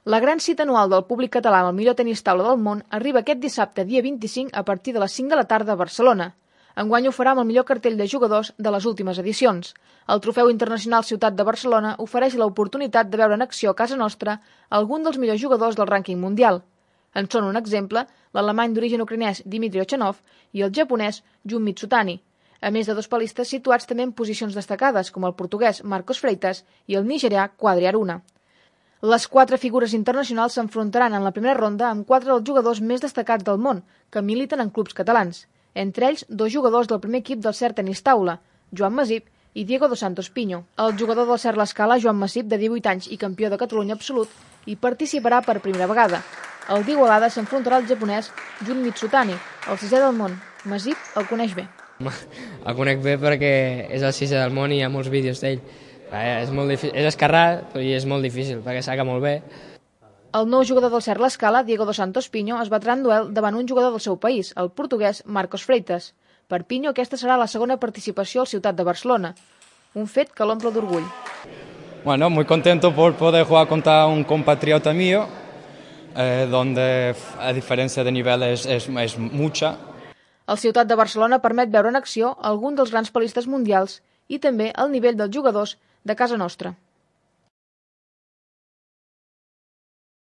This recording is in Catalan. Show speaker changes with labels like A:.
A: La gran cita anual del públic català amb el millor tenis taula del món arriba aquest dissabte, dia 25, a partir de les 5 de la tarda a Barcelona. Enguany ho farà amb el millor cartell de jugadors de les últimes edicions. El Trofeu Internacional Ciutat de Barcelona ofereix l'oportunitat de veure en acció a casa nostra algun dels millors jugadors del rànquing mundial. En són un exemple l'alemany d'origen ucraïnès Dmitry Ochanov i el japonès Jun Mitsutani, a més de dos palistes situats també en posicions destacades, com el portuguès Marcos Freitas i el nigerià Quadri Aruna. Les 4 figures internacionals s'enfrontaran en la primera ronda amb 4 dels jugadors més destacats del món, que militen en clubs catalans. Entre ells, 2 jugadors del primer equip del CERT Tenis Taula, Joan Masip i Diego dos Santos Piño. El jugador del CERT L'Escala, Joan Masip, de 18 anys i campió de Catalunya absolut, hi participarà per primera vegada. El d'Igualada s'enfrontarà al japonès Jun Mitsutani, el 6è del món. Masip el coneix bé.
B: El conec bé perquè és el 6è del món i hi ha molts vídeos d'ell. És molt difícil, és esquerrà i és molt difícil perquè saca molt bé.
A: El nou jugador del CERT L'Escala, Diego dos Santos Piño, es batrà en duel davant un jugador del seu país, el portuguès Marcos Freitas. Per Piño, aquesta serà la segona participació al Ciutat de Barcelona, un fet que l'omple d'orgull.
C: Bueno, muy contento por poder jugar contra un compatriota mío, donde a diferència de nivel es mucha.
A: El Ciutat de Barcelona permet veure en acció algun dels grans palistes mundials i també el nivell dels jugadors de casa nostra.